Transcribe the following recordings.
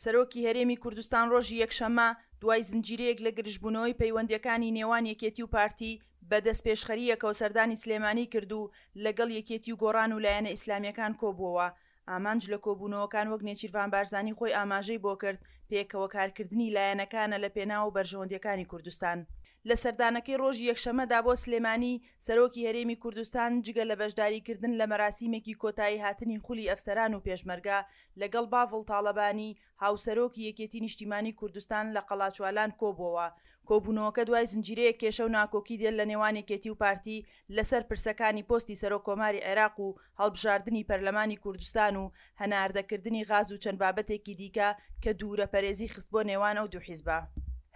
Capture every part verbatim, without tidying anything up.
سەرۆکی هەرێمی کوردستان ڕۆژی یەکشەممە دوای زنجیرەیەک لە گرژبوونەوەی پەیوەندییەکانی نێوان یەکێتی و پارتی بە دەستپێشخەرییەکەوە سەردانی سلێمانی کرد و لەگەڵ یەکێتی و گۆڕان و لایەنە ئیسلامییەکان کۆبووەوە. ئامانج لە کۆبوونەوەکان وەک نێچیرڤان بارزانی خۆی ئاماژەی بۆ کرد، پێکەوە کارکردنی لایەنەکانە لە پێناو بەرژەوەندییەکانی کوردستان. لە سەردانەکەی ڕۆژی یەکشەممەدا بۆ سلێمانی، سەرۆکی هەرێمی کوردستان جگە لە بەشداریکردن لە مەراسیمێکی کۆتاییهاتنی خولی ئەفسەران و پێشمەرگە، لەگەڵ باڤڵ تاڵەبانی، هاوسەرۆکی یەکێتی نیشتیمانی کوردستان لە قەڵاچوالان کۆبووەوە. کۆبوونەوەکە دوای زنجیرەیەک کێشە و ناکۆکی دێت لە نێوان یەکێتی و پارتی لەسەر پرسەکانی پۆستی سەرۆک کۆماری عێراق و هەڵبژاردنی پەرلەمانی کوردستان و هەناردەکردنی غاز و چەند بابەتێکی دیکە کە دوورەپەرێزی خستبووە نێوان ئەو دوو حیزبە.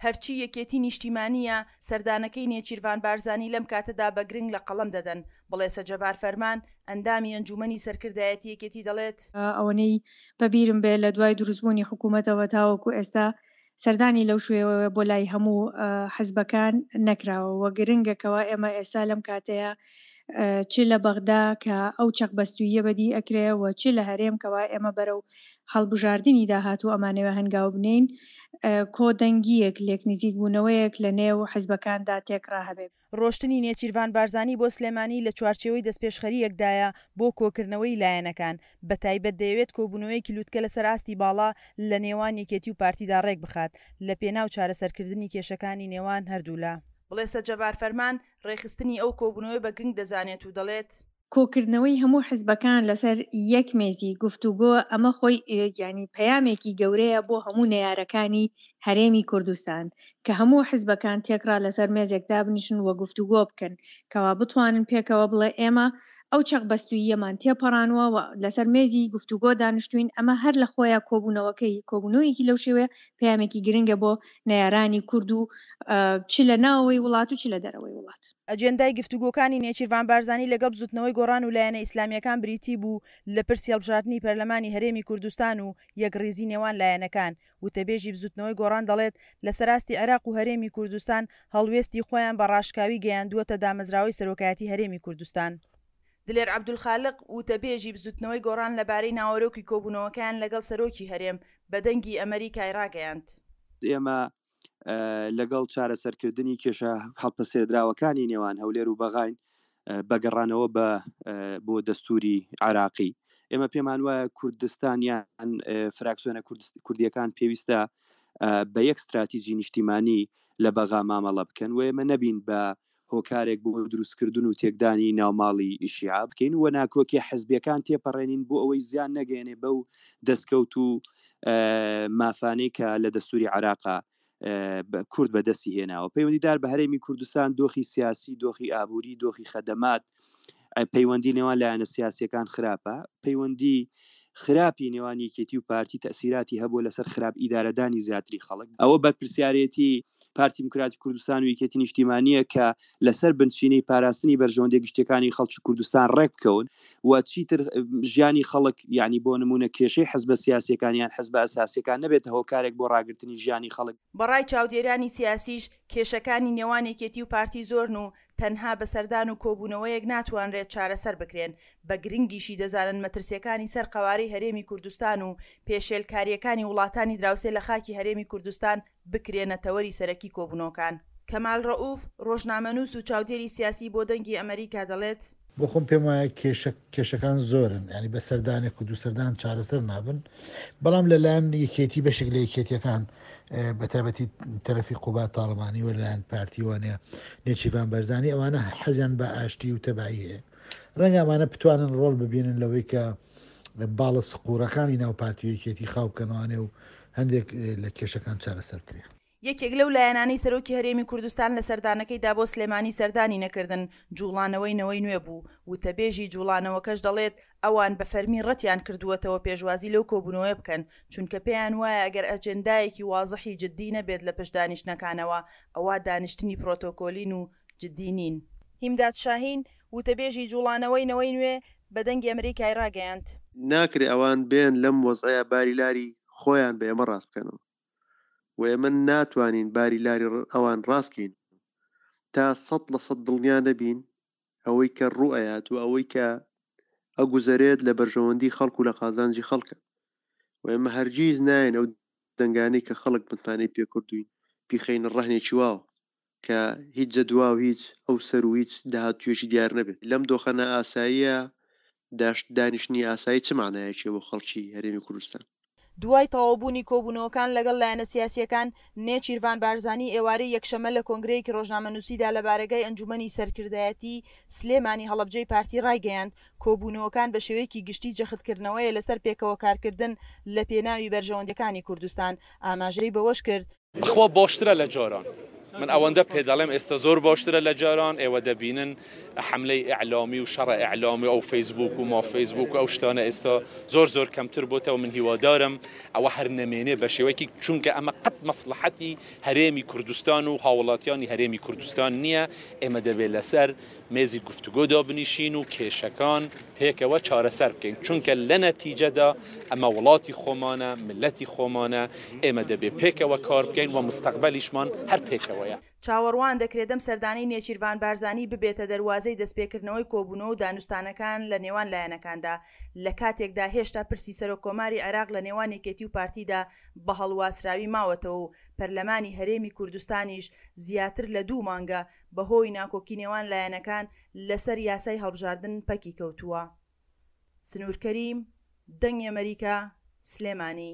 هەرچی یەکێتی نیشتیمانییە، سەردانەکەی نێچیرڤان بارزانی لەم کاتەدا بە گرنگ لە قەڵەم دەدەن. بڵێسە جەبار فەرمان، ئەندامی ئەنجوومەنی سەرکردایەتی یەکێتی دەڵێت، ئەوەنەی بەبیرم بێ لە دوای دروستبوونی حکوومەتەوە تاوەکو ئێستا سەردانی لەو شێوەیە بۆ لای هەموو حزبەکان نەکراوە و گرنگە کەوا ئێمە ئێستا لەم کاتەیە چ لە بەغدا کە ئەو چەقبەستووییە بەدی ئەکرێ و چ لە هەرێم کەوا ئێمە بەرەو هەڵبژاردنی داهاتوو ئەمانەوێ هەنگاو بنێین، کۆدەنگییەک، لێکنزیکبوونەوەیەک لە نێو حزبەکاندا تێکڕا هەبێ. ڕۆشتنی نێچیرڤان بارزانی بۆ سلێمانی لە چوارچێوەی دەستپێشخەرییەکدایە بۆ کۆکردنەوەی لایەنەکان، بەتایبەت دەیەوێت کۆبوونەوەیەکی لوتکە لەسەر ئاستی باڵا لە نێوان یەکێتی و پارتیدا ڕێکبخات لەپێناو چارەسەرکردنی کێشەکانی نێوان هەردوولا. بڵێسە جەبار فەرمان، ڕێکخستنی ئەو کۆبوونەوەی بە گرنگ دەزانێت و دەڵێت، کۆکردنەوەی هەموو حزبەکان لەسەر یەک مێزی گفتوگۆ ئەمە خۆی یانی پەیامێکی گەورەیە بۆ هەموو نەیارەکانی هەرێمی کوردستان کە هەموو حزبەکان تێکڕا لەسەر مێزێک دابنیشن و گفتوگۆ بکەن کەوا بتوانن پێکەوە بڵێ ئێمە ئەو چەقبەستووییەمان تێپەڕانوە و لەسەر مێزی گفتوگۆ دانیشتوین، ئەمە هەر لە خۆیا کۆبوونەوەکەی کۆبوونەوەیەکی لەو شێوەیە پەیامێکی گرنگە بۆ نەیارانی کورد و چ لە ناوەوەی وڵات و چ لە دەرەوەی وڵات. ئەجێندای گفتوگۆکانی نێچیرڤان بارزانی لەگەڵ بزوتنەوەی گۆڕان و لایەنە ئیسلامییەکان بریتی بوو لە پرسی هەڵبژاردنی پەرلەمانی هەرێمی کوردستان و یەکڕیزی نێوان لایەنەکان. وتەبێژی بزوتنەوەی گۆڕان دەڵێت، لەسەر ئاستی عێراق و هەرێمی کوردستان هەڵوێستی خۆیان بە ڕاشکاوی گەیاندووەتە دامەزراوەی سەرۆکایەتی هەرێمی کوردستان. دلێر عەبدولخالق، وتەبێژی بزوتنەوەی گۆڕان لەبارەی ناوەرۆکی کۆبوونەوەکەیان لەگەڵ سەرۆکی هەرێم، بە دەنگی ئەمەریکای ڕاگەیاند. ئێمە لەگەڵ چارەسەرکردنی کێشە هەڵپەسێردراوەکانی نێوان هەولێر و بەغاین بە گەڕانەوە بە بۆ دەستوری عراقی. ئێمە پێمان وایە کوردستان یان فراکسیۆنە کوردیەکان پێویستە بە یەک ستراتیجی نیشتیمانی لە بەغا مامەڵە بکەن و ئێمە نەبین بە هۆکارێک بۆ دروستکردن و تێکدانی ناوماڵی شیعە بکەین و ناکۆکی حزبیەکان تێپەڕێنین بۆ ئەوەی زیان نەگەیەنێ بەو دەستکەوت و مافانەی کە لە دەستوری عراقا کورد بەدەستی هێناوە. پەیوەندیدار بە هەرێمی کوردستان دۆخی سیاسی، دۆخی ئابووری، دۆخی خەدەمات، پەیوەندی نێوان لایەنە سیاسیەکان خراپە. پەیوەندی خراپی نێوان یەکێتی و پارتی تەسیراتی هەبوو لەسەر خراپ ئیدارەدانی زیاتری خەڵک. ئەوە بەرپرسیارێتی پارتی دیموکراتی کوردستان و یەکێتی نیشتیمانیە کە لەسەر بنچینەی پاراستنی بەرژەوەندی گشتیەکانی خەڵکی کوردستان ڕێک بکەون و چیتر ژیانی خەڵک، یعنی بۆ نمونە کێشەی حزبە سیاسیەکان یان حزبە ئەساسیەکان نەبێتە هۆکارێک بۆ ڕاگرتنی ژیانی خەڵک. بەڕای چاودێرانی سیاسیش کێشەکانی نێوان یەکێتی و پارتی زۆرن و تەنها بە سەردان و کۆبوونەوەیەک ناتوانرێت چارەسەر بکرێن، بە گرنگیشی دەزانن مەترسیەکانی سەر قەوارەی هەرێمی کوردستان و پێشێلکاریەکانی وڵاتانی دراوسێ لە خاکی هەرێمی کوردستان بکرێنە تەوەری سەرەکی کۆبوونەوەکان. کەمال ڕەئوف، ڕۆژنامەنووس و چاودێری سیاسی بۆ دەنگی ئەمەریکا دەڵێت، بۆ خۆم پێم وایە کێشە کێشەکان زۆرن، ینی بە سەردانێک و دوو سەردان چارەسەر نابن، بەڵام لەلایەن یەکێتی بەشێک لە یەکێتیەکان بە تایبەتی تەرەفی قوباد تاڵەبانی و لەلایەن پارتیوانەیە نێچیرڤان بەرزانی ئەوانە حەزیان بە ئاشتی و تەبایی هەیە. ڕەنگە ئەمانە بتوانن ڕۆڵ ببینن لەوەی کە باڵە سقورەکانی ناو پارتی و یەکێتی خاو بکەنەوانێ و هەندێک لە کێشەکان چارەسەر بکرێن. یەکێک لەو لایەنانەی سەرۆکی هەرێمی کوردستان لە سەردانەکەیدا بۆ سلێمانی سەردانی نەکردن، جوڵانەوەی نەوەی نوێ بوو، وتەبێژی جوڵانەوەکەش دەڵێت ئەوان بە فەرمی ڕەتیان کردووەتەوە پێشوازی لەو کۆبوونەوەیە بکەن، چونکە پێیان وایە ئەگەر ئەجێندایەکی وازحی جددی نەبێت لە پشت دانیشتنەکانەوە، ئەوا دانیشتنی پرۆتۆکۆلین و جددی نین. هیمداد شاهین، وتەبێژی جوڵانەوەی نەوەی نوێ بە دەنگی ئەمریکای ڕاگەیاند، ناکرێ ئەوان بێن لەم وەزعەیە باری لاری خۆیان بە ئێمە ڕاست بکەنەوە و ئێمە ناتوانین باری لاری ئەوان ڕاستکەین تا سەد لە سەد دڵنیا نەبین ئەوەی کە ڕوو ئەیات و ئەوەی کە ئەگوزەرێت لە بەرژەوەندی خەڵک و لە قازانجی خەڵکە و ئێمە هەرگیز ناین ئەو دەنگانەی کە خەڵک متمانەی پێکردوین بیخەینە ڕەهنێکی واوە کە هیچ جەدوا و هیچ ئەو سەر و هیچ داهاتوویەکی دیار نەبێت. لەم دۆخە نائاساییە داشت دانیشتنی ئاسایی چ مانایەکی بۆ خەڵکی هەرێمی کوردستان؟ دوای تەواوبوونی کۆبوونەوەکان لەگەڵ لایەنە سیاسییەکان، نێچیرڤان بارزانی ئێوارەی یەکشەممە لە کۆنگرەیەکی ڕۆژنامەنووسیدا لە بارەگای ئەنجوومەنی سەرکردایەتی سلێمانی هەڵەبجەی پارتی ڕایگەیاند، کۆبوونەوەکان بە شێوەیەکی گشتی جەختکردنەوەیە لەسەر پێکەوە کارکردن لە پێناوی بەرژەوەندییەکانی کوردستان. ئاماژەی بەوەشکرد، بەخوا باشترە لە جاران من ئەوەندە پێ دەڵێم ئێستا زۆر باشترە لە جاران ئێوە دەبینن حملەی ئیعلامی و شەڕە ئیعلامی ئەو فەیسبوک و ما فەیسبوک و ئەو شتانە ئێستا زۆر زۆر کەمتر بۆتەوە من هیوادارم ئەوە هەر نەمێنێ بە شێوەیەکی چونکە ئەمە قەت مەسڵەحەتی هەرێمی کوردستان و هاوڵاتیانی هەرێمی کوردستان نییە ئێمە دەبێت لەسەر مێزی گفتوگۆ دابنیشین و کێشەکان پێکەوە چارەسەر بکەین چونکە لە نەتیجەدا ئەمە وڵاتی خۆمانە ملەتی خۆمانە ئێمە دەبێت پێکەوە کار بکەین و مستەقبەلیشمان هەر پێکەوەیە. چاوەڕوان دەکرێت ئەم سەردانەی نێچیرڤان بارزانی ببێتە دەروازەی دەستپێکردنەوەی کۆبوونەوە و دانوستانەکان لە نێوان لایەنەکاندا، لە کاتێکدا هێشتا پرسی سەرۆک کۆماری عێراق لە نێوان یەکێتی و پارتیدا بە هەڵواسراوی ماوەتەوە و پەرلەمانی هەرێمی کوردستانیش زیاتر لە دوو مانگە بەهۆی ناکۆکی نێوان لایەنەکان لەسەر یاسای هەڵبژاردن پەکی کەوتووە. سنوور کەریم، دەنگی ئەمەریکا، سلێمانی.